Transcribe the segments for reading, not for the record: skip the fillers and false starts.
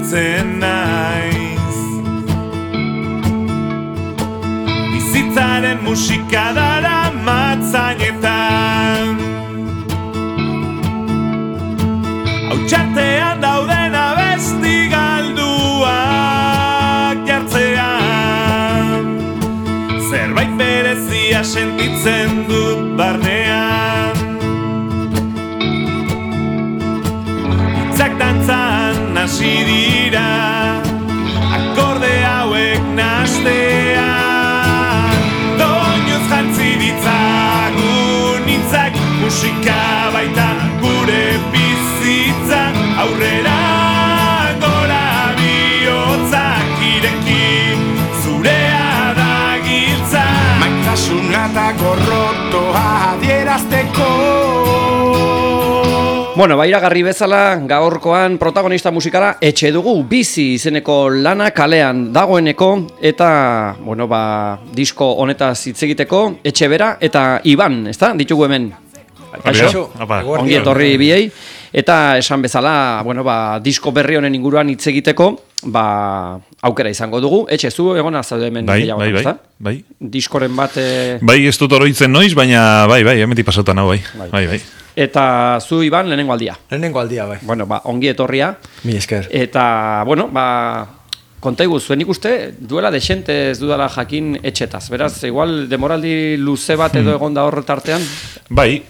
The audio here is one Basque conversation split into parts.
sentitzen naiz. Bizitzaren musika dara matzainetan, hautsatean dauden abesti galduak jartzean, zerbait berezia sentitzen dut barnean. Hitzak dantzan hasi dira, akorde hauek nahastean, doinuz jantzi ditzagun hitzak, musika baita gure bizitza, aurrera gora bihotzak ireki, zurea da giltza, maitasuna eta gorrotoa adierazteko. Bueno, iragarri bezala, gaurkoan protagonista musikala etxe dugu, Bizi izeneko lana kalean dagoeneko, eta, bueno, disko honetaz hitz egiteko, etxe bera eta Iban, ezta? Ditugu hemen. Kaixo, ongi etorri biei, eta esan bezala, bueno, disko berri honen inguruan hitz egiteko, aukera izango dugu. Etxe, zu egona zaude hemen gehiago, ezta? Bai. Diskoren bat... Bai, ez dut oroitzen noiz, baina bai, hemetik pasautan hau, bai. Eta zu, Iban, lehenengo aldia. Lehenengo aldia, bai. Bueno, ongi etorria. Mi esker. Eta, bueno, kontaigu, zuen ikuste, duela desente ez dudala jakin etxetaz. Beraz, igual, demoraldi luze bat edo egon da hor tartean? Bai,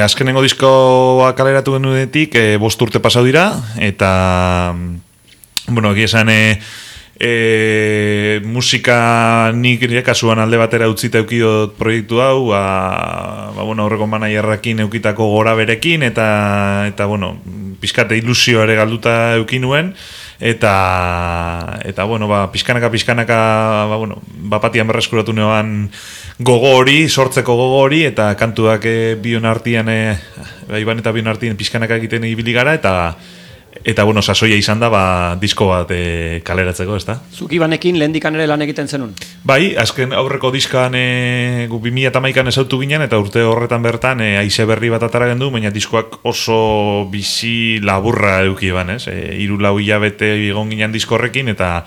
azkenengo diskoa kaleratu genuenetik 5 urte pasau dira, eta, bueno, egia esan... musika nik kasuan alde batera utzita eukiot proiektu hau, bueno, aurreko manaierrakin eukitako gora berekin, eta bueno, pizkate ilusio ere galduta eukinuen, eta bueno, pizkanaka, bueno, bapatian berreskuratu neoan gogo hori, sortzeko gogo hori, eta kantuak bion artian, Iban eta bion artian pizkanaka egiten ibili gara, eta bueno, sasoia izan da, disko bat kaleratzeko, ezta? Zuk Ibanekin lehendikan ere lan egiten zenun? Bai, azken aurreko diskan 2011an ezautu ginen, eta urte horretan bertan haize berri bat atara gendu, baina diskoak oso bizi laburra eduki eban, ez? 3-4 hilabete egon ginen disko horrekin, eta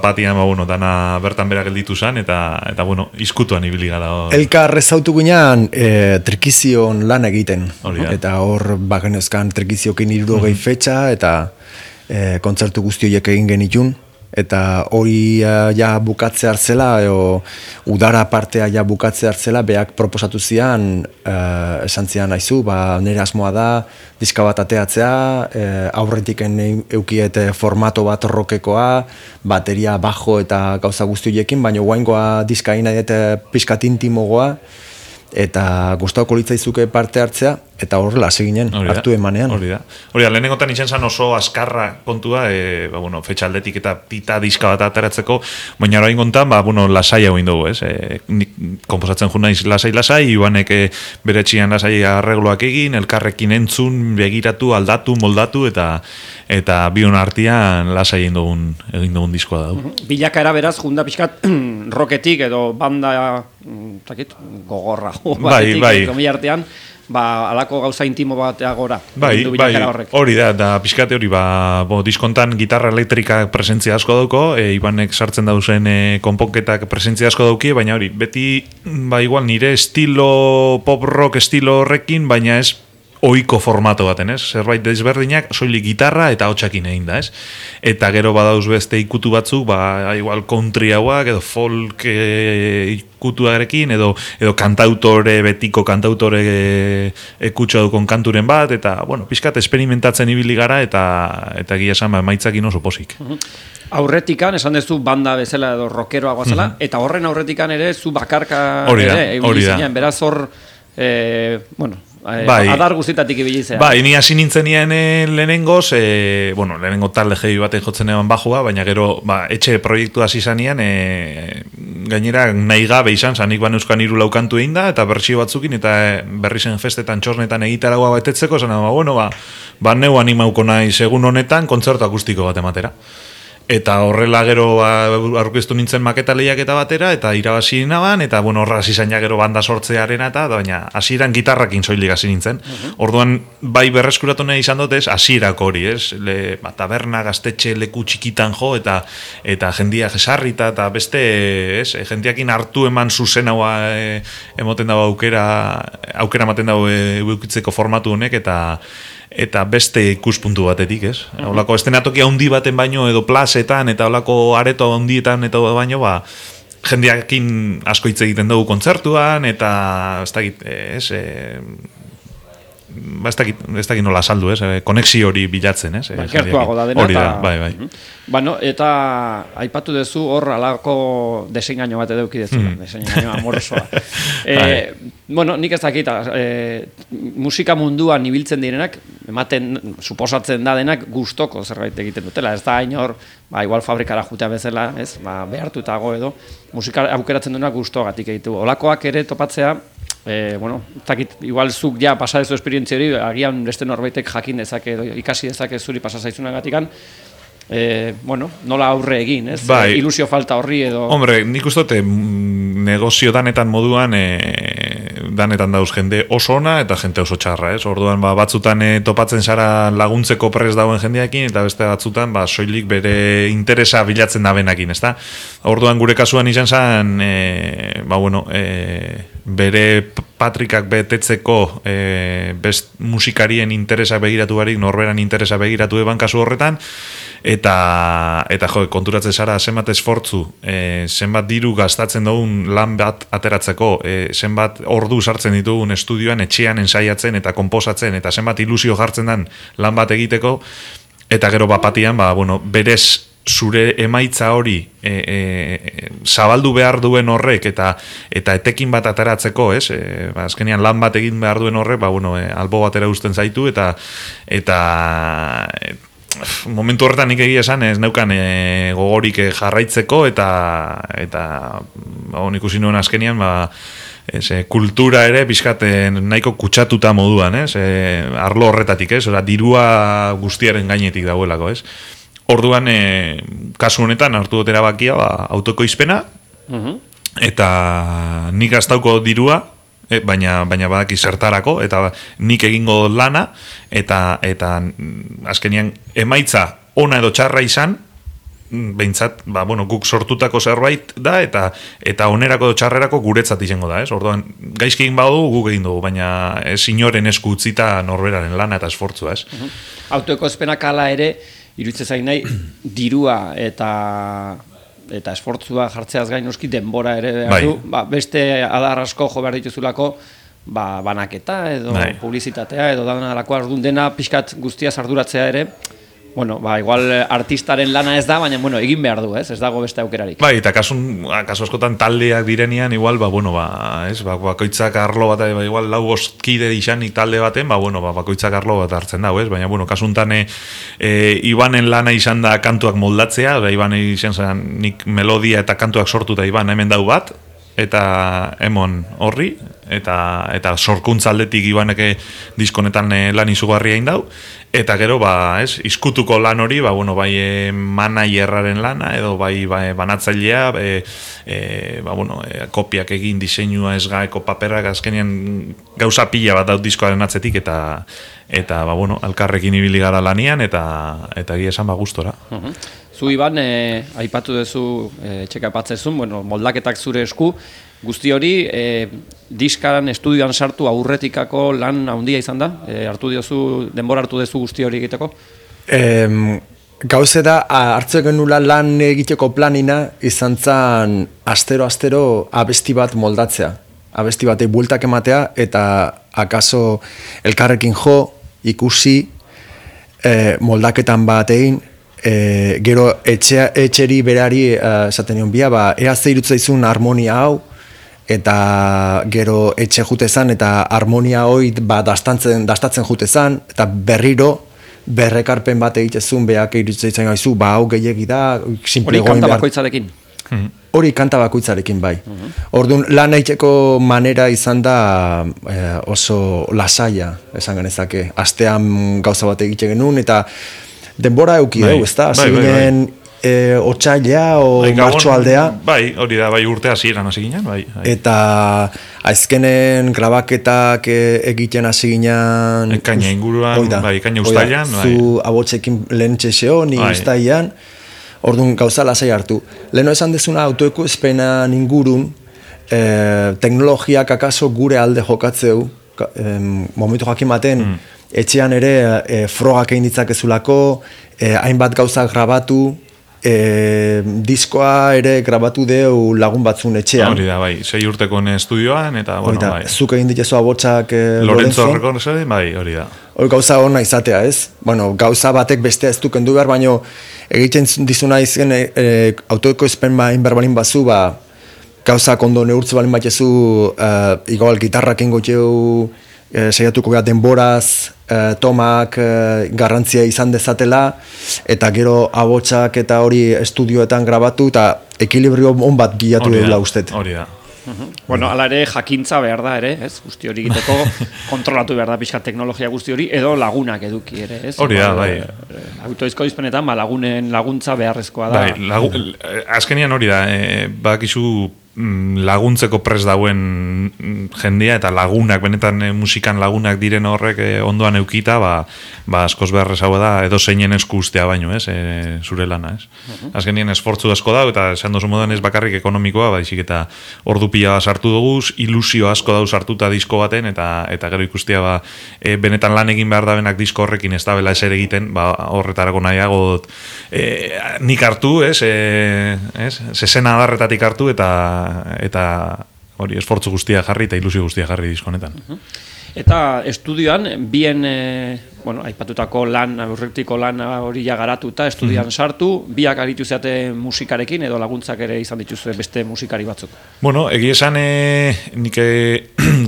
batian, bueno, dana bertan bera gelditu zen, eta bueno, izkutuan ibili gara. Elkar ezautu ginen trekizion lan egiten, eta hor bagenezkan trekiziokin 60 fetxa, eta kontzertu guzti horiek egin genitun, eta hori ja bukatze hartzela, udara partea ja bukatze hartzela, beak proposatu zian, esan zian aizu, nire asmoa da, diska bat ateatzea, aurretik eukiet formato bat rockekoa, bateria, bajo eta gauza guzti horiekin, baina guaingoa diska egin nahi pizkat intimogoa, eta gustatuko litzaizuke parte hartzea, eta horrela seginen, hartu emanean. Hori da, lehenengotan izan zen oso azkarra kontua, bueno, fetxa aldetik eta pita diska bat ateratzeko, baina orain kontan, bueno, lasai hau indugu, ez? Nik komposatzen jo naiz lasai, Ibanek bere txian lasai arregloak egin, elkarrekin entzun, begiratu, aldatu, moldatu, eta bion artean lasai egin dugun diskoa da. Bilakaera beraz, junda pixkat, rocketik edo banda, gogorra, bai. Komila artean, alako gauza intimo batea gora. Bai, hori da pixkate hori, diskontan gitarra elektrika presentzia asko dauko, Ibanek sartzen dauzen konponketak presentzia asko dauki, baina hori, beti, igual nire estilo pop rock estilo horrekin, baina ez ohiko formato baten, ez? Zerbait desberdinak, soilik gitarra eta hotsakin egin da, ez? Eta gero badauz beste ikutu batzuk, igual country hauak, edo folk ikutuarekin, edo kantautore, betiko kantautore ekutsa dukon kanturen bat, eta, bueno, pixkat experimentatzen ibili gara, eta gila esan, maitzakin oso posik. Aurretikan, esan dezu banda bezala edo rockeroa guazela, eta horren aurretikan ere, zu bakarka ere, egulizinean, beraz hor, bueno, adar guztitatik ibilizea. Ni hasi nintzenien lehenengoz, lehenengo talde jebi baten jotzen eban bajua, baina gero etxe proiektu hasi zanean, gainera nahi gabe izan, zanik euskan 3 laukantu egin da, eta bertsio batzukin, eta berri zen festetan txosnetan egitaragoa betetzeko, zena, neu animauko nahi segun honetan, kontzertu akustiko bat ematera. Eta horrela gero aurkeztu nintzen maketa lehiaketa batera, eta irabazi naban, eta bueno, horra hasi zaina gero banda sortzearena, eta baina hasieran gitarrakin soilik hasi nintzen. Orduan, bai berreskuratu nahi izan dut ez, hasierako hori, ez? Taberna, gaztetxe, leku txikitan jo, eta jendia jesarrita, eta beste, ez? Jendiakin hartu eman zuzen hau emoten dago aukera ematen dago eukitzeko formatu honek, eta beste ikuspuntu batetik, ez? Olako estenatokia handi baten baino edo plazetan eta olako areto handietan eta baino, jendeakin asko hitz egiten dugu kontzertuan eta ez dakit nola saldu, ez? Konexio hori bilatzen, ez? Gertuago da dena. Hori da, bai. Bueno, eta aipatu duzu hor alako desengaino bat eduki dezula, desengaino amorosoa. Bueno, nik ez dakit, musika munduan ibiltzen direnak, ematen, suposatzen da denak gustoko zerbait egiten dutela. Ez da hain hor, igual fabrikara jutea bezala, ez? Behartutago edo, musika aukeratzen duenak gustogatik egitu. Olakoak ere topatzea, bueno, zakit, igual zuk ja pasa dezu esperientzia hori, agian beste norbaitek jakin dezake edo ikasi dezake zuri pasa zaizunagatikan, bueno, nola aurre egin, ez? Ilusio falta horri edo... Hombre, nik uste negozio danetan moduan danetan dauz jende oso ona eta jente oso txarra, ez? Orduan batzutan topatzen zara laguntzeko prest dauen jendeakin eta beste batzutan soilik bere interesa bilatzen dabenakin, ezta? Orduan gure kasuan izan zen bere patrikak betetzeko best musikarien interesa begiratu barik, norberan interesa begiratu eban kasu horretan, eta konturatzen zara zenbat esfortzu, zenbat diru gastatzen dugun lan bat ateratzeko, zenbat ordu sartzen ditugun estudioan, etxean ensaiatzen eta konposatzen, eta zenbat ilusio jartzen den lan bat egiteko, eta gero bapatian, berez zure emaitza hori zabaldu behar duen horrek eta etekin bat ateratzeko, ez? Azkenean lan bat egin behar duen horrek, albo batera uzten zaitu eta momentu horretan nik egia esan ez neukan gogorik jarraitzeko eta ikusi nuen azkenean kultura ere pixkaten nahiko kutsatuta moduan, ez? Arlo horretatik, ez? Dirua guztiaren gainetik dagoelako, ez? Orduan, kasu honetan hartu dut erabakia autokoizpena, eta nik gastauko dirua, baina badaki zertarako, eta nik egingo lana, eta azkenian emaitza ona edo txarra izan, behintzat, guk sortutako zerbait da, eta onerako edo txarrerako guretzat izango da, ez? Orduan, gaizki egin badu, guk egin dugu, baina ez inoren esku utzita norberaren lana eta esfortzua, ez? Autoekozpenak ala ere, iruditzen zain nahi, dirua eta esfortzua jartzeaz gain noski denbora ere behar du, beste adar asko jo behar dituzulako, banaketa edo publizitatea edo danarako ardun dena pixkat guztia arduratzea ere, igual artistaren lana ez da, baina egin behar du, ez dago beste aukerarik. Bai, eta kasu askotan taldeak direnean, igual, bakoitzak arlo bat, igual lau bostkide izanik talde baten, bakoitzak arlo bat hartzen dago, ez? Baina, kasuntan Ibanen lana izan da kantuak moldatzea, Iban izan zen nik melodia eta kantuak sortuta Iban hemen dau bat, eta emon horri, eta sorkuntza aldetik Ibaneke diskonetan lan izugarria indau, eta gero, izkutuko lan hori, bai manaierraren lana, edo bai banatzailea, kopiak egin diseinua ez gaeko paperak, azkenean gauza pila bat daut diskoaren atzetik, eta alkarrekin ibili gara lanian, eta gira esan gustora. Zu Iban, aipatu duzu, txekapatzezun, moldaketak zure esku, guzti hori, diskaran, estudioan sartu aurretikako lan handia izan da? Denbora hartu duzu guzti hori egiteko? Gauze da, hartze genula lan egiteko planina izan zen astero abesti bat moldatzea. Abesti batei bueltak ematea, eta akaso elkarrekin jo, ikusi, moldaketan bat egin, gero etxeri berari esaten nion bia, ea zeirutza izun harmonia hau, eta gero etxe jutezan eta harmonia hoi dastatzen jutezan, eta berriro berrekarpen bat egitezun beak irutza izan gaizu, hau gehiagi da, hori kanta bakoitzarekin? Hori kanta bakoitzarekin, bai. Orduan, lan egiteko manera izan da oso lasaia, esan genezake. Astean gauza bat egite genuen, eta denbora euki dugu, ez da? Zinen otsailea o martxoaldea. Bai, hori da, bai urte hasieran hasi ginen, bai. Eta azkenen grabaketak egiten hasi ginen... Ekaina inguruan, bai, ekaina ustailan. Zu abotsekin lehen txeseo, ni ustailan, orduan gauza lasai hartu. Leheno esan dezuna autoekoizpenan ingurun, teknologiak akaso gure alde jokatzeu, momentu jakimaten, etxean ere frogak egin ditzakezulako, hainbat gauza grabatu, diskoa ere grabatu deu lagun batzun etxean. Hori da, bai, 6 urteko estudioan, eta, bueno, bai. Zuk egin ditezu abotsak Lorenzo Recordsaren, bai, hori da. Hori gauza hona izatea, ez? Bueno, gauza batek bestea ez du kendu behar, baino egiten dizuna izan autoekoizpen berbalin bazu, gauza kondo neurtze balin batezu, igual gitarrak ingoteu, saiatuko gara denboraz, tomak garrantzia izan dezatela, eta gero abotsak eta hori estudioetan grabatu, eta ekilibrio on bat bilatu dela ustet. Hori da. Bueno, ala ere jakintza behar da ere, ez? Guzti hori egiteko kontrolatu behar da pixka teknologia guzti hori, edo lagunak eduki ere, ez? Hori da, bai. Autoizkoizpenetan, lagunen laguntza beharrezkoa da. Bai, azkenian hori da, bakizu laguntzeko prest dauen jendia eta lagunak, benetan musikan lagunak diren horrek ondoan eukita, askoz beharrezagoa da edo zeinen esku ustea baino, ez, zure lana, ez. Azkenien esfortzu asko da, eta esan dozu moduan ez bakarrik ekonomikoa, baizik eta ordu pila sartu dugu, ilusio asko dau sartuta disko baten, eta gero ikustia benetan lan egin behar da benak disko horrekin ez da bela eser egiten, horretarako nahiago nik hartu, ez, zezena adarretatik hartu, eta hori esfortzu guztia jarri eta ilusio guztia jarri diskonetan. Eta estudioan, bien, aipatutako lan, aurretiko lan hori garatuta, estudioan sartu, biak aritu zeate musikarekin, edo laguntzak ere izan dituzue beste musikari batzuk? Bueno, egia esan, nik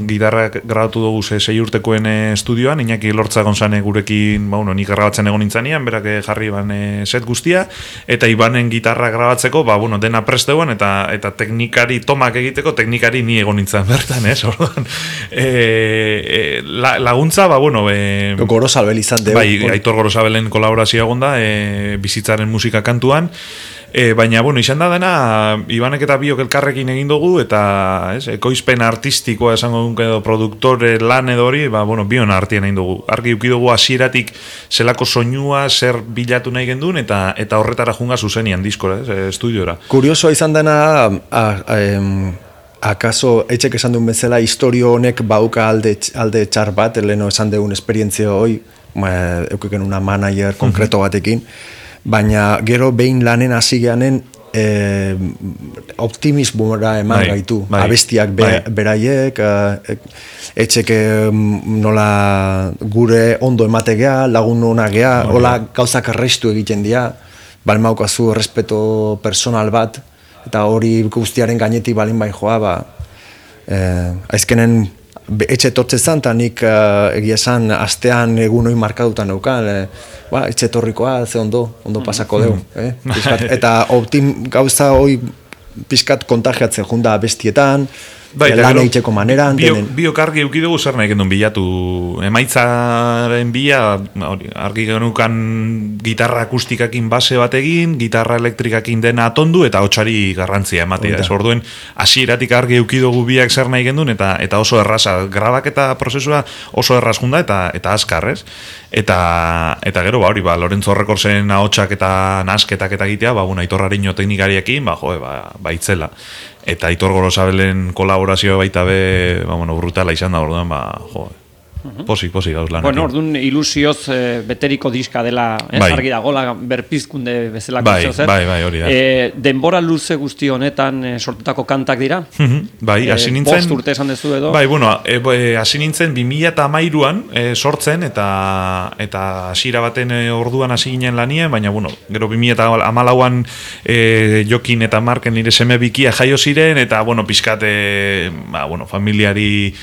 gitarra grabatu dugu 6 urtekoen estudioan, Iñaki Lortzagon zane gurekin, nik grabatzen egon nintzanean, berak jarri set guztia, eta Ibanen gitarra grabatzeko, dena presteuan, eta teknikari tomak egiteko, teknikari ni egon nintzen bertan, ez? Laguntza, Gorosabel izan dugu. Bai, Aitor Gorosabelen kolaborazioa egon da, bizitzaren musika kantuan, baina, izan da dena, Ibanek eta biok elkarrekin egin dugu, eta ekoizpen artistikoa esango dunk edo produktore lan edo hori, bion artien egin dugu. Argi uki dugu hasieratik zelako soinua, zer bilatu nahi gendun, eta horretara junga zuzenian diskora, estudiora. Kuriosoa izan dena, akaso etxek esan duen bezala historio honek bauka alde txar bat, leheno esan dugun esperientzia hoi, eukiken una manager konkreto batekin, baina gero behin lanen hasi geanen optimismora eman gaitu. Abestiak beraiek, etxek nola gure ondo emategea, lagun hona gea, hola gauzak arrestu egiten dira, balmaukazu respeto personal bat, eta hori guztiaren gainetik balin bai joa, aizkenen etxe etortze zan, eta nik egia esan astean egun hori markadutan neukan, etxe etorrikoa, ze ondo pasako dugu. Eta gauza hori pixkat kontagiatzen junda bestietan, lan egiteko maneran. Biok argi eukidugu zer nahi gendun bilatu. Emaitzaren bila, argi genukan gitarra akustikakin base bat egin, gitarra elektrikakin dena atondu, eta hotsari garrantzia ematea. Orduen, hasieratik argi eukidugu biak zer nahi gendun, eta oso erraza. Grabaketa prozesua oso erraz junda, eta azkar, ez? Eta gero, Lorenzo Recordsen ahotsak eta nasketak eta egitea, Aitor Ariño teknikariekin, itzela. Eta Aitor Gorosabelen kolaborazioa baita brutala izan da, orduan, Pozik gauz lan. Orduan ilusioz beteriko diska dela, argi dagoela berpizkunde bezalako zer. Bai, hori da. Denbora luze guzti honetan sortutako kantak dira? Bai, hasi nintzen... Bost urte esan dezu edo? Bai, hasi nintzen 2013an sortzen, eta hasiera baten orduan hasi ginen lanien, baina, gero 2014an Jokin eta Marken nire seme bikia jaio ziren, eta, pixkat, familiari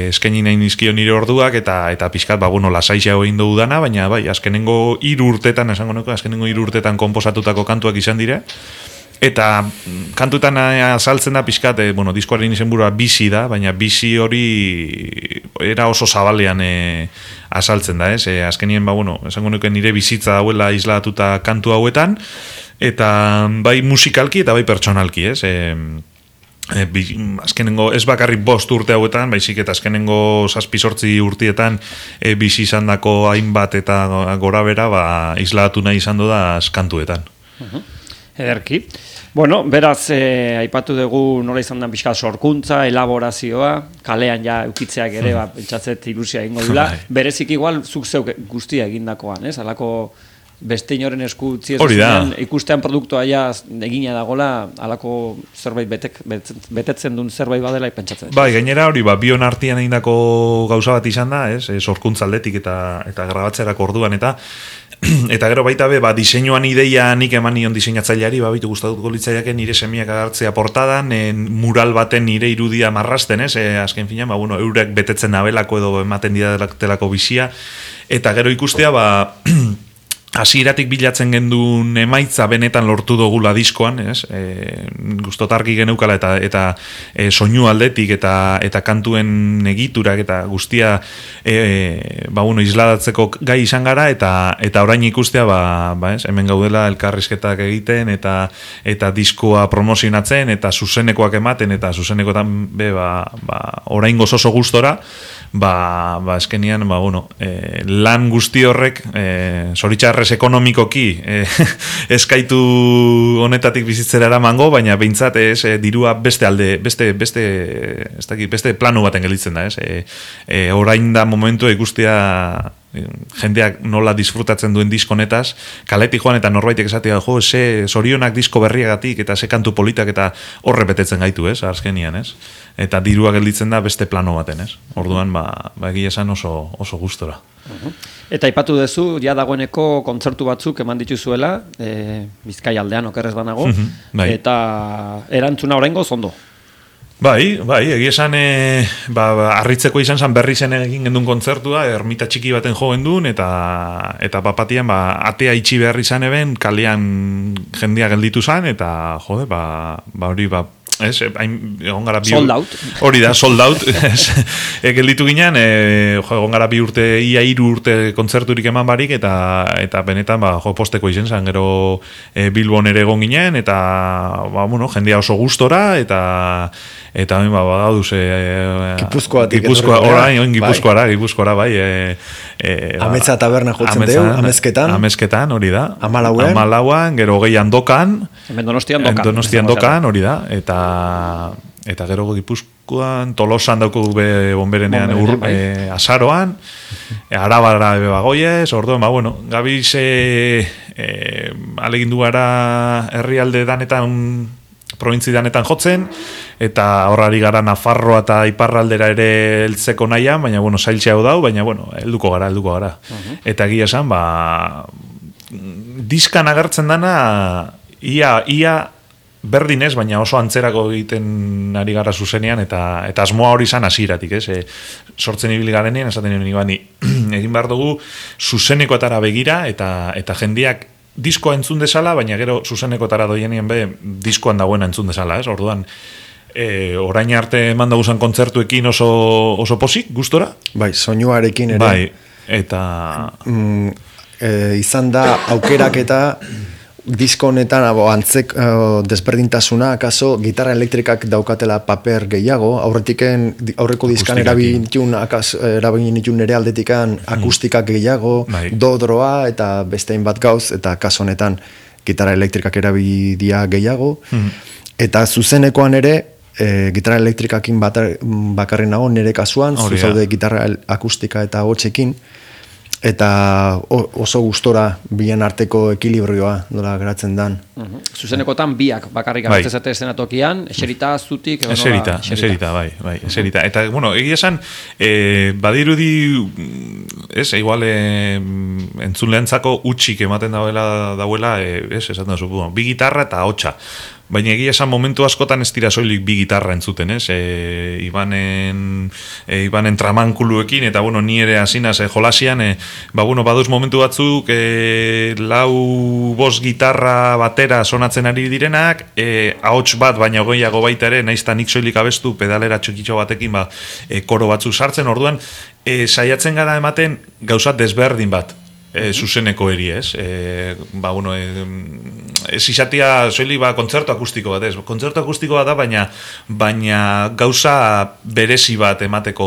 eskaini nahi nizkion nire orduak, eta pixkat, lasaixea egin dugu dana, baina, azkenengo 3 urtetan, esango nuko, azkenengo 3 urtetan konposatutako kantuak izan dire, eta kantutan azaltzen da pixkat, diskoaren izenburua bizi da, baina bizi hori era oso zabalean azaltzen da, ez? Azkenien, esango nuke nire bizitza dauela islatuta kantu hauetan, eta bai musikalki eta bai pertsonalki, ez? Azkenengo ez bakarrik 5 urte hauetan, baizik eta azkenengo 7-8 urtietan bizi izandako hainbat eta gorabera isladatu nahi izan da kantuetan. Ederki. Bueno, beraz, aipatu dugu nola izan da pixka sorkuntza, elaborazioa, kalean ja eukitzeak ere, pentsatzet ilusia egingo dula. Berezik igual, zuk zeuk guztia egindakoan, ez? Halako beste inoren esku utzi ez ikustean produktua ja egina dagola, halako zerbait betetzen duen zerbait badela pentsatzen. Bai, gainera hori, bion artean egindako gauza bat izan da, ez? Sorkuntza aldetik eta grabatzerako orduan eta gero baita be, diseinuan ideia nik eman nion diseinatzaileari, bitu gustatuko litzaiake nire semiak agertzea portadan, mural baten nire irudia marrasten, ez? Azken finean, eurek betetzen nabelako edo ematen didatelako bizia, eta gero ikustea, hasieratik bilatzen gendun emaitza benetan lortu dugula diskoan, ez? Gustotarki geneukala eta soinu aldetik eta kantuen egiturak eta guztia isladatzeko gai izan gara eta orain ikustea ez? Hemen gaudela elkarrizketak egiten eta diskoa promozionatzen eta zuzenekoak ematen eta zuzenekoetan orain oso gustora eskenean lan guzti horrek zoritxarrez ekonomikoki eskaitu honetatik bizitzera eramango, baina behintzat dirua beste plano baten gelditzen da, ez? Orain da momentu ikustea jendeak nola disfrutatzen duen diskonetaz, kaletik joan eta norbaitek esatea, zorionak disko berriagatik eta ze kantu politak eta horre betetzen gaitu, ez? Azkenian, ez? Eta dirua gelditzen da beste plano baten, ez? Orduan, egia esan oso gustora. Eta aipatu duzu, ja dagoeneko kontzertu batzuk eman dituzuela, Bizkai aldean okerrez banago, eta erantzuna oraingoz ondo. Bai, egia esan harritzeko izan zen berri zen egin gendun kontzertua, ermita txiki baten jo gendun, eta bapatian atea itxi behar izan eben, kalean jendea gelditu zen, eta jode, hori egon gara sold out. Hori da, sold out. Gelditu ginen, egon gara 2 urte, ia 3 urte kontzerturik eman barik, eta benetan posteko izen zen, gero Bilbon ere egon ginen, eta jendea oso gustora, eta badauduz Gipuzkoara, bai. Ametsa taberna jotzen deu, Amezketan, hori da. Amalauan, gero 20 dokan. Donostian dokan, hori da. Eta gero Gipuzkoan, Tolosan dauko bonberenean azaroan, Arabara bagoiez, orduan, gabiz alegindu gara herrialde danetan, probintzi danetan jotzen, eta horrari gara Nafarroa eta Iparraldera ere heltzeko nahian, baina, zailtzea dau, baina, helduko gara. Eta egia esan, diskan agertzen dana, ia berdin ez, baina oso antzerako egiten ari gara zuzenean, eta asmoa hori izan hasieratik, ez? Sortzen ibili garenean, esaten egin behar dugu zuzenekotara begira, eta jendeak diskoa entzun dezala, baina gero zuzenekotara doienien diskoan dagoena entzun dezala, ez? Orduan, orain arte eman daguzan kontzertuekin oso posik, gustora? Bai, soinuarekin ere. Bai, eta izan da aukerak eta disko honetan desberdintasuna, akaso gitarra elektrikak daukatela paper gehiago, aurreko diskan erabilitun ere aldetikan akustikak gehiago, dodroa eta bestein bat gauz, eta kaso honetan gitarra elektrikak erabilidia gehiago, eta zuzenekoan ere gitarra elektrikakin bakarri nago nire kasuan, zuzaude gitarra akustika eta hotxekin, eta oso gustora bien arteko ekilibrioa nola geratzen dan. Zuzenekotan biak bakarrik agertzezate estenatokian, eserita zutik? Eserita, bai, eserita. Eta, egia esan, badirudi, igual entzunleantzako utxik ematen dauela, esaten da zupu, bi gitarra eta hotxa. Baina egia esan momentu askotan ez dira soilik bi gitarra entzuten, ez? Ibanen tramankuluekin, eta ni ere hasinaz jolasian, baduz momentu batzuk 4-5 gitarra batera sonatzen ari direnak, ahots bat baina gehiago baita ere, naizta nik soilik abestu pedalera txokitxo batekin koro batzuk sartzen, orduan saiatzen gara ematen gauzat desberdin bat. zuzeneko eri, ez? Ez izatea soilik kontzertu akustiko bat, ez? Kontzertu akustiko bat da, baina gauza berezi bat emateko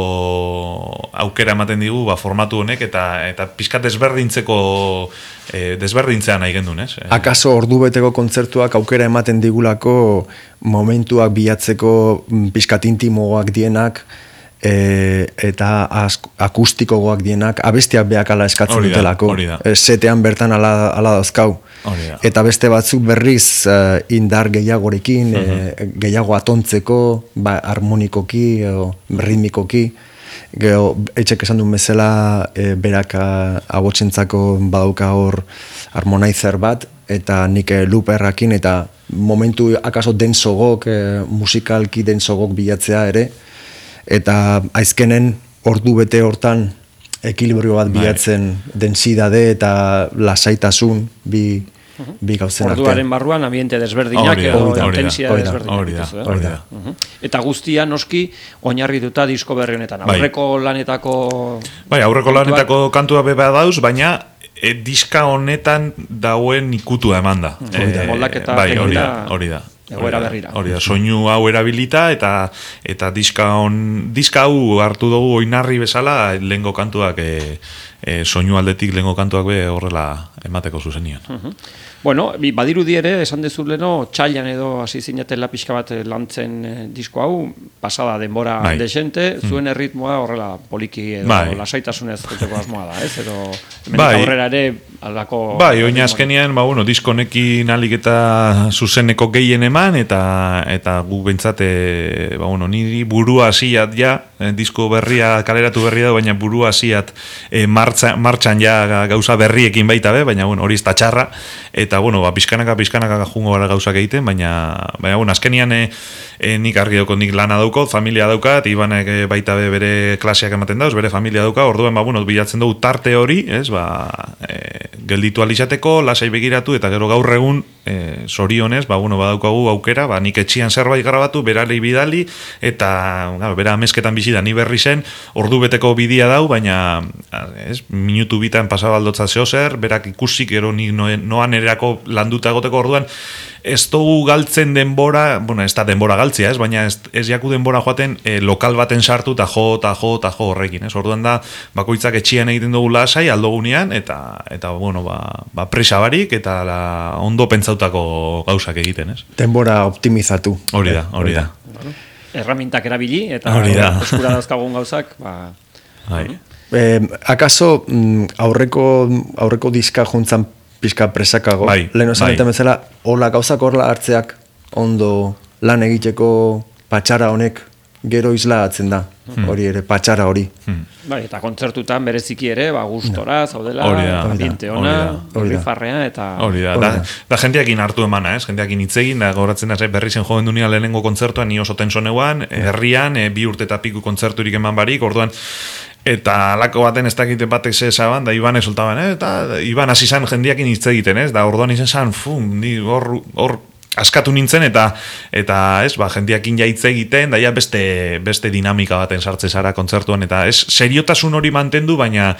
aukera ematen digu formatu honek eta pizkat desberdintzea nahi gendun, ez? Akaso ordubeteko kontzertuak aukera ematen digulako momentuak bilatzeko pizkat intimoak dienak, eta akustikoak dienak abestiak beak ala eskatzen dutelako. Setean bertan ala dauzkau. Eta beste batzuk berriz indar gehiagorekin, gehiago atontzeko, harmonikoki, ritmikoki. Etxek esan duen bezala berak agotzentzako badauka hor harmonizer bat, eta nik looperrakin, eta momentu akaso densogok, musikalki densogok bilatzea ere, eta aizkenen ordu bete hortan ekilibrio bat bilatzen densidade eta lasaitasun bi gauzen artean. Orduaren barruan ambiente desberdinak edo intensidade desberdinak. Eta guztia noski oinarrituta disko berri honetan. Aurreko lanetako... aurreko lanetako kantua beba dauz, baina diska honetan dauen ikutua eman da. Moldaketa hori da. Egoera berrira. Hori da, soinu hau erabilita eta diska hau hartu dugu oinarri bezala lehengo kantuak, soinu aldetik lehengo kantuak be horrela emateko zuzenian. Bueno, badirudi ere, esan dezuleno, txailan edo hasi zinatela pixka bat lantzen disko hau, pasada denbora desente, zuen erritmoa horrela poliki edo lasaitasunez joteko asmoa da, ez? Edo hemenik aurrera ere aldako... Oina azkenean, disko honekin alik eta zuzeneko gehien eman, eta gu bentsate, niri burua hasiat ja, disko berria, kaleratu berria da, baina burua hasiat martxan ja gauza berriekin baita be, baina hori ez da txarra, eta pizkanaka jungo gara gauzak egiten, baina azkenian nik argi dauko, nik lana dauko, familia daukat, Ibanek baita bere klaseak ematen dauz, bere familia dauka, orduan bilatzen dugu tarte hori, gelditu alizateko, lasai begiratu, eta gero gaur egun zorionez, badaukagu aukera, nik etxian zerbait grabatu, berari bidali, eta bera amezketan bizi da, ni berri zen, ordu beteko bidia dau, baina minutu bitan pasabaldotza zehozer, berak ikusik, gero nik noan erako landuta egoteko orduan, ez dugu galtzen denbora, ez da denbora galtzia, baina ez jaku denbora joaten lokal baten sartu eta jo horrekin, orduan da, bakoitzak etxian egiten dugu lasai, aldogunean, eta presa barik, eta ondo pentsautako gauzak egiten, Denbora optimizatu. Hori da. Erramintak erabili, eta eskura dauzkagun gauzak, akaso aurreko diska juntzan pizka presakago, lehen osan eta bezala, hola gauzak horla hartzeak ondo lan egiteko patxara honek gero isla atzen da, hori ere, patxara hori. Eta kontzertutan bereziki ere, gustora, zaudela, ambiente ona, rifarrea, eta... Hori da jendeakin hartu emana, jendeakin hitzegin, da gauratzen berri zen joven dunia lehenengo kontzertuan, ni oso tensoneuan, herrian, 2 urte eta piku kontzerturik eman barik, orduan, eta alako baten ez dakite batek zezaban, da Iban esoltaban, eta Iban hasi zan jendeakin hitz egiten, da orduan izan zan, hor askatu nintzen, eta jendeakin hitz egiten, da beste dinamika baten sartze zara kontzertuan, eta seriotasun hori mantendu, baina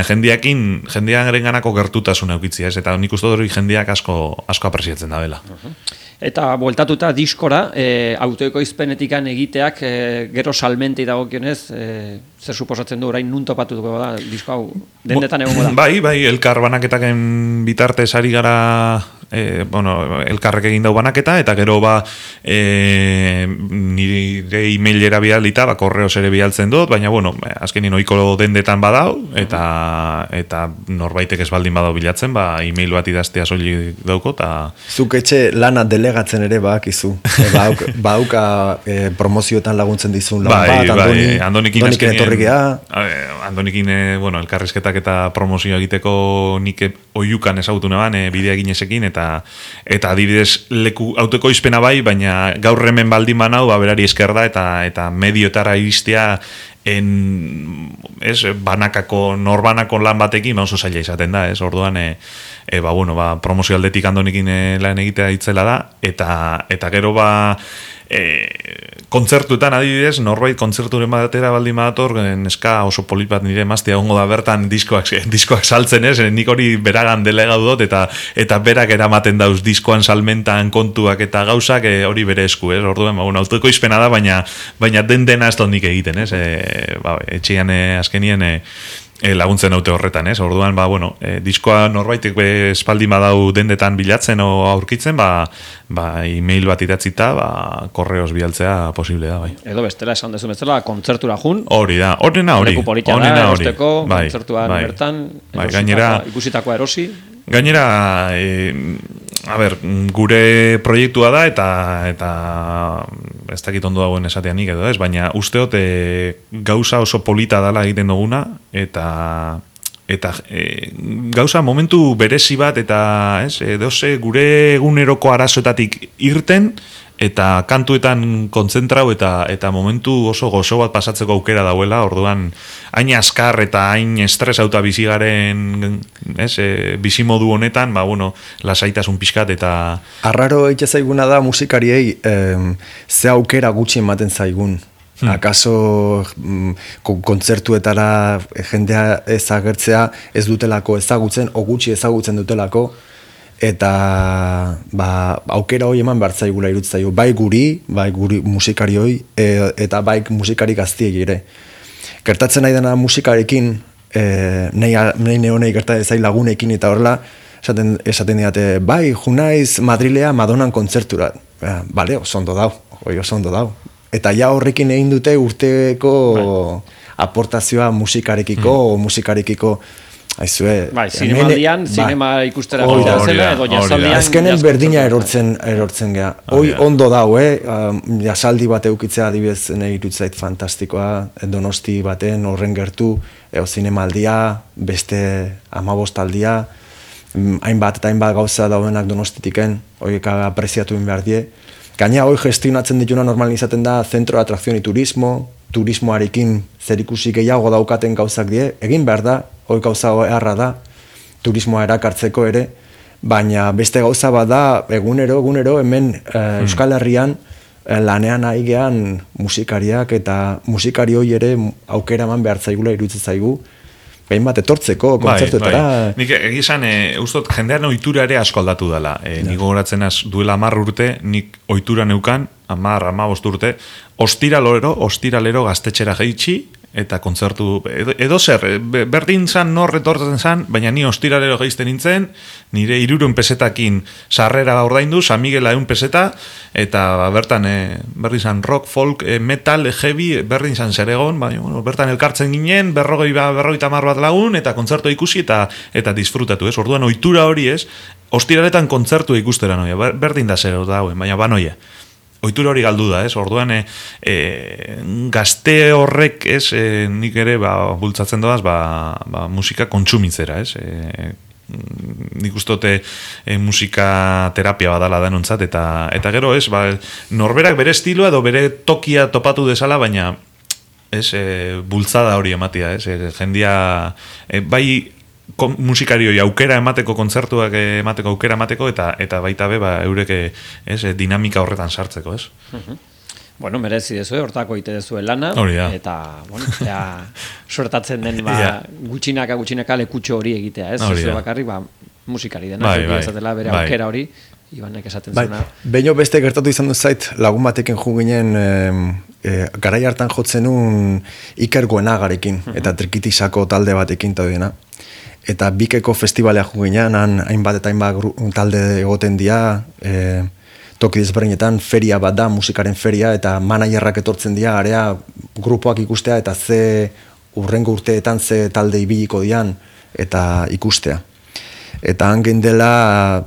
jendearen ganako gertutasun eukitzia, eta nik uste hori jendeak asko apresiatzen da bela. Eta bueltatuta diskora, autoekoizpenetikan egiteak gero salmentei dagokionez, zer suposatzen du orain nun topatuko da disko hau dendetan egongo da? Bai, elkar banaketaken bitartez ari gara, elkarrek egin dau banaketa, eta gero nire e-mailera bialita, korreos ere bialtzen dut, baina azkenin ohiko dendetan badau, eta norbaitek ez baldin badau bilatzen, e-mail bat idaztea soilik dauko, eta... Zuk etxe lana delegatzen ere bakizu. Bauka promozioetan laguntzen dizun lan bat, Andonikin etorrikea. Andonikin, elkarrizketak eta promozioa egiteko nik oiukan ezagutu neban, bidea ginesekin, eta adibidez leku autoekoizpena bai, baina gaur hemen baldin banau, berari esker da, eta medioetara iristea norbanako lan batekin, oso zaila izaten da, orduan, promozio aldetik Andonikin lan egitea itzela da, eta gero kontzertuetan adibidez, norbait kontzerturen batera baldin badator, neska oso polit bat nire emaztea ongo da bertan diskoak saltzen ez, nik hori beragan delegatu dut, eta berak eramaten dauz diskoan salmentan kontuak eta gauzak hori bere esku, ez? Orduan, autoko izpena da, baina dena ez dut nik egiten, ez? Etxean azkenien laguntzen haute horretan, ez? Orduan, diskoa norbaitek espaldin badau dendetan bilatzen o aurkitzen, e-mail bat idatzita, korreos bialtzea posible da, bai. Edo bestela esan dezu bezala, kontzertura jun. Hori da, honena hori. Leku politia da, erosteko, kontzertuan bertan, ikusitakoa erosi. Gainera, gure proiektua da eta ez dakit ondo dagoen esatean nik edo ez, baina usteot gauza oso polita dala egiten duguna eta gauza momentu berezi bat eta gure eguneroko arazoetatik irten eta kantuetan kontzentrau eta momentu oso gozo bat pasatzeko aukera dauela, orduan hain askar eta hain estresauta bizigaren bizimodu honetan, lasaitasun pixkat eta... Arraro egite zaiguna da musikariei ze aukera gutxi ematen zaigun. Akaso kontzertuetara jendea ezagertzea ez dutelako ezagutzen, o gutxi ezagutzen dutelako, eta aukera hori eman behar zaigula irutzaio, bai guri musikarioi, eta bai musikari gaztiek ere. Gertatzen nahi dena musikarekin, nahi neonei gertatzen zain lagunekin eta horrela, esaten diate, bai, junaiz Madrilea Madonan kontzertura. Bale, oso ondo dau. Eta ja horrekin egin dute urteko aportazioa musikarekiko o musikarekiko. Aizue, zinemaldian, zinema ikustera zela, edo jazaldian... Azkenen berdina erortzen geha. Hoi ondo dau, jazaldi bat eukitzea adibidez nahi irutzait fantastikoa, Donosti baten, horren gertu, zinemaldia, beste 15 aldia, hainbat eta hainbat gauza daudenak Donostitiken, horiek apreziatu behar die. Gaina hoi gestionatzen dituna normal izaten da Centro de Atracción y turismoarekin zerikusi gehiago daukaten gauzak die, egin behar da, hoi gauza erra da, turismoa erakartzeko ere, baina beste gauza bada egunero hemen Euskal Herrian lanean aigean musikariak eta musikari hoi ere aukera eman behar zaigula iruditzen zaigu, behin bat etortzeko kontzertuetara. Nik egizan, ustot, jendean ohitura ere asko aldatu dela. Nik gogoratzen duela 10 urte, nik ohitura neukan, 10-15 urte, ostiralero gaztetxera jaitsi, eta kontzertu, edo zer, berdin zan, nor retortzen zan, baina ni ostiralero geizten nintzen, nire 300 pesetakin sarrera ordaindu, San Miguela 100 peseta, eta bertan, berdin zan rock, folk, metal, heavy, berdin zan zer egon, bertan elkartzen ginen, 50 bat lagun, eta kontzertu ikusi, eta disfrutatu, ez? Orduan, ohitura hori ez, ostiraletan kontzertu ikustera noia, berdin da zer dauen, baina banoia. Ohitura hori galdu da, ez? Orduan, gazte horrek, ez, nik ere, bultzatzen doaz, musika kontsumitzera, ez? Nik ustote musika terapia badala denontzat, eta gero, ez, norberak bere estiloa edo bere tokia topatu desala, baina, ez, bultzada hori ematia, ez? Jendia, bai, musikarioi aukera emateko, kontzertuak emateko, aukera emateko, eta baita be, eureke dinamika horretan sartzeko, ez? Bueno, merezi dezu, hortako ite dezu lana, eta, suertatzen den, gutxinaka lekutxo hori egitea, ez? Zuzue bakarri, musikari dena, ezatela bere aukera hori, Ibanek esaten zuna. Behin beste gertatu izan dut zait, lagun batekin jo ginen, garai hartan jotzen un Iker Goenagarekin, eta Trikitisako talde batekin eta dena. Eta Bikeko festivalea jo ginen, hainbat eta hainbat talde egoten dira, toki desberdinetan feria bat da, musikaren feria, eta managerrak etortzen dira, area grupoak ikustea, eta ze urrengo urteetan ze talde ibiliko dian, eta ikustea. Eta hangen dela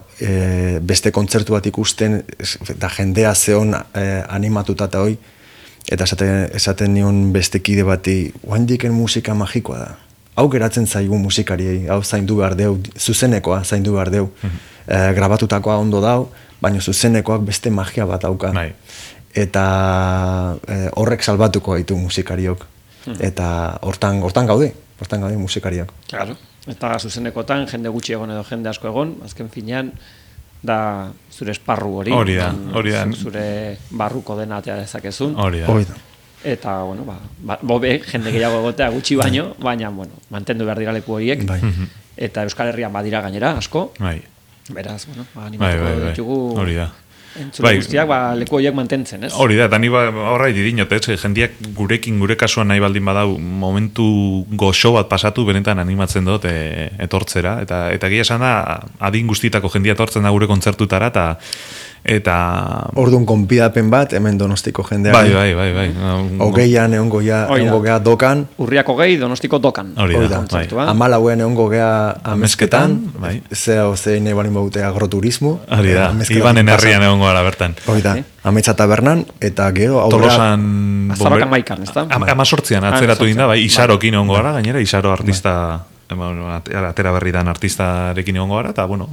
beste kontzertu bat ikusten, eta jendea zeon animatuta eta hoi, eta esaten nion beste kide bati, oaindiken musika magikoa da. Hau geratzen zaigu musikariei, hau zaindu behar deu, zuzenekoa zaindu behar deu. Grabatutakoa ondo dau, baina zuzenekoak beste magia bat dauka. Eta horrek salbatuko gaitu musikariok. Eta hortan gaude musikariok. Claro. Eta zuzenekotan, jende gutxi egon edo jende asko egon, azken finean, da zure esparru hori. Hori da. Zure barruko dena atea dezakezun. Hori da. Eta, bueno, bobe, jende gehiago egotea gutxi baino, baina, bueno, mantendu behar dira leku horiek. Eta Euskal Herrian badira gainera, asko. Beraz, bueno, animatuko ditugu. Hori da. Entzule guztiak, leku horiek mantentzen, ez? Hori da, eta ni horra idinot, ez? Jendiak gure kasuan nahi baldin badau momentu goxo bat pasatu, benetan animatzen dut etortzera. Eta gila esan da, adin guztietako jendia etortzen da gure kontzertutara, eta... Orduan konpidapen bat, hemen Donostiko jendeari. Bai. Hogeian egongo gea dokan. Urriak hogei, Donostiko dokan. Hori da, bai. 14 egongo gea amezketan. Zein nahi balin baute agroturismo. Hori da, Ibanen herrian egongo gara bertan. Hori da, Ametsa tabernan, eta gero... Tolosan... Azarok amaikan, ez da? 18an atzeratu dinda, bai, Isarokin egongo gara, gainera, Isaro artista... Atera berri dan artistarekin egongo gara, eta, bueno,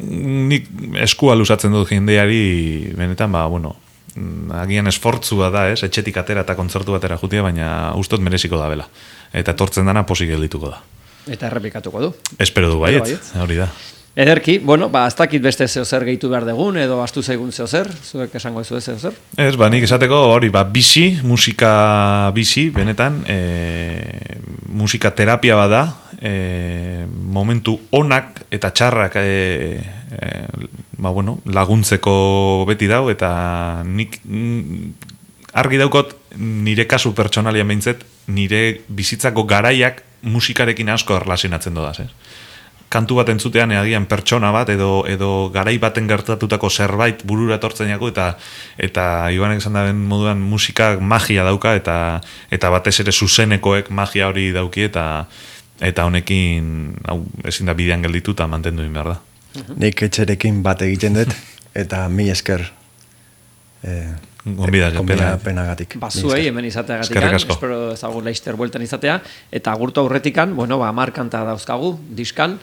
nik eskua luzatzen dut jendeari benetan, agian esfortzua da, etxetik atera eta kontzertu batera jutia, baina ustot mereziko da bela. Eta etortzen dana posik geldituko da. Eta errepikatuko du. Espero du baiet, hori da. Ederki, ez dakit beste zeozer gehitu behar dugun, edo astu zaigun zeozer, zuek esango ez zeozer? Ez, nik esateko hori, bizi, musika bizi, benetan, musika terapia bada, momentu onak eta txarrak laguntzeko beti dau, eta nik argi daukot nire kasu pertsonalia behintzet, nire bizitzako garaiak musikarekin asko erlazionatzen dodaz, kantu bat entzutean agian pertsona bat edo garai baten gertatutako zerbait burura etortzen jako eta Ibanek esan daren moduan musikak magia dauka eta batez ere zuzenekoek magia hori dauki eta honekin ezin da bidean gelditu eta mantendu behar da. Nik etxerekin bat egiten dut eta mi esker penagatik. Zuei hemen izateagatik, espero ezagun Leister bueltan izatea, eta agurtu aurretikan, 10 kanta dauzkagu, diskan,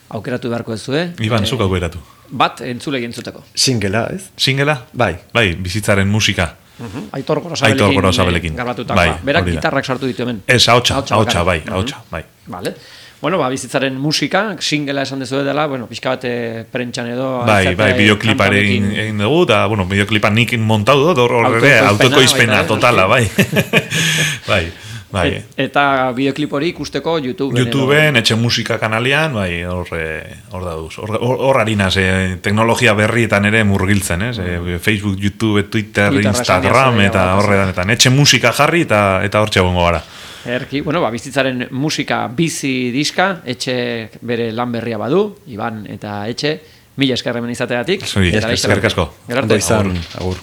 aukeratu beharko ezue. Iban, zuk aukeratu. Bat, entzule entzuteko. Singela, ez? Singela? Bai, bizitzaren musika. Aitor Gorosabelekin. Garbatutako. Berak gitarrak sartu ditu hemen. Ez, hautsa, bai. Vale. Bizitzaren musika, singela esan dezu dela, pixka bat prentxan edo... Bai, bideokliparen egin dugu, eta, bideoklipan nik montau dut, horre, autokoizpena totala, bai. Bai. Eta bideoklip hori ikusteko YouTubeen, etxe musika kanalian, bai, hor dauz. Hor harinaz, teknologia berrietan ere murgiltzen, Facebook, YouTube, Twitter, Instagram, eta horretan. Etxe musika jarri eta hor txabongo gara. Erki, bizitzaren musika bizi diska, etxe bere lan berria badu, Iban eta etxe, mila eskerremen izateagatik. Eskerrik asko. Ondo izan, agur.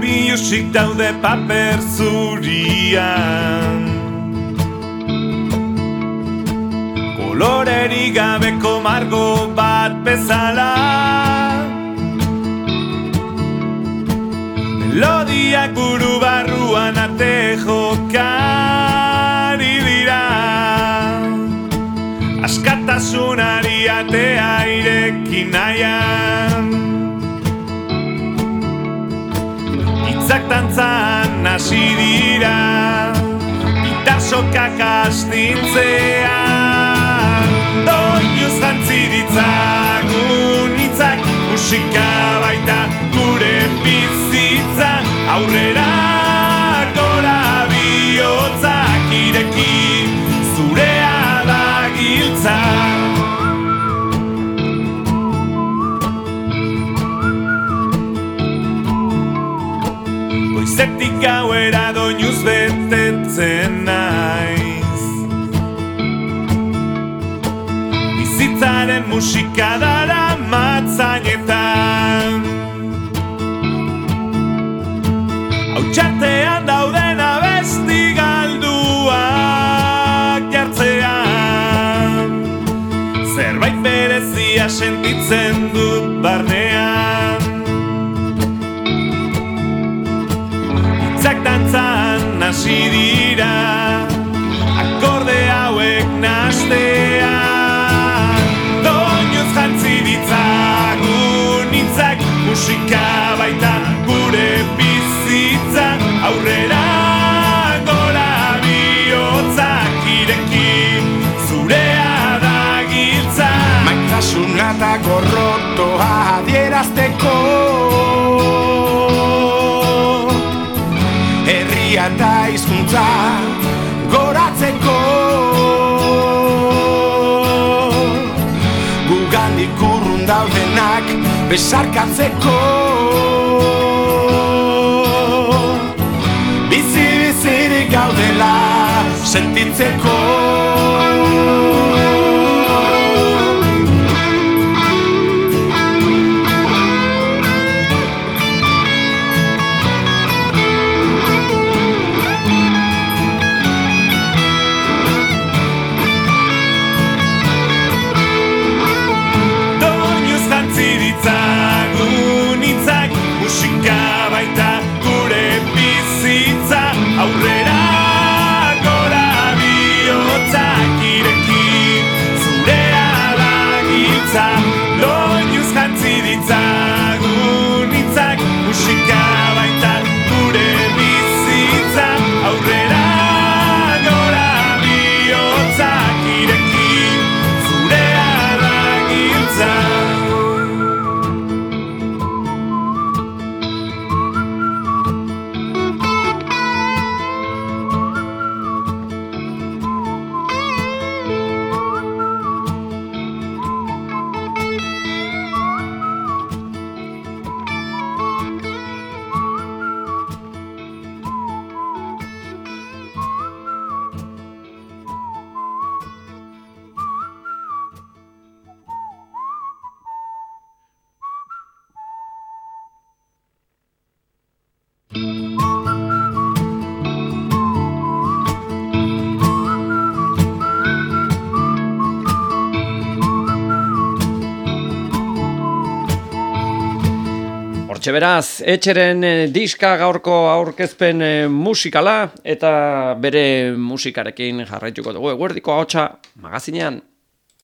Bilusik daude paper zurian, kolorerik gabeko margo bat bezala, melodiak buru barruan ate jokari dira, askatasunari atea irekin nahian, hitzak dantzan hasi dira, gitasokak astintzean, doinuz jantzi ditzagun hitzak, musika baita gure bizitza, aurrera gora bihotzak ireki, zurea da giltza. Goizetik gauera doinuz betetzen naiz, bizitzaren musika dara matzainetan, hautsatean dauden abesti galduak jartzean, zerbait berezia sentitzen dut barnean. hitzak dantzan hasi dira, akorde hauek nastean. Doinuz jantzi ditzagun hitzak, musika baita gure bizitza, aurrera gora bihotzak ireki, zurea da giltza. Maitasuna eta gorrotoa adierazteko, herria eta hizkuntza goratzeko, gugandik urrun daudenak besarkatzeko, bizi-bizirik gaudela sentitzeko. Musika baita gure bizitza, aurrera gora bihotzak ireki, zurea da giltza. Doinuz jantzi ditzagun hitzak, musika baita gure bizitza, aurrera gora bihotzak ireki, zurea da giltza. Hortxe beraz, Etxeren diska gaurko aurkezpen musikala eta bere musikarekin jarraituko dugu eguerdiko ahotsa magazinean.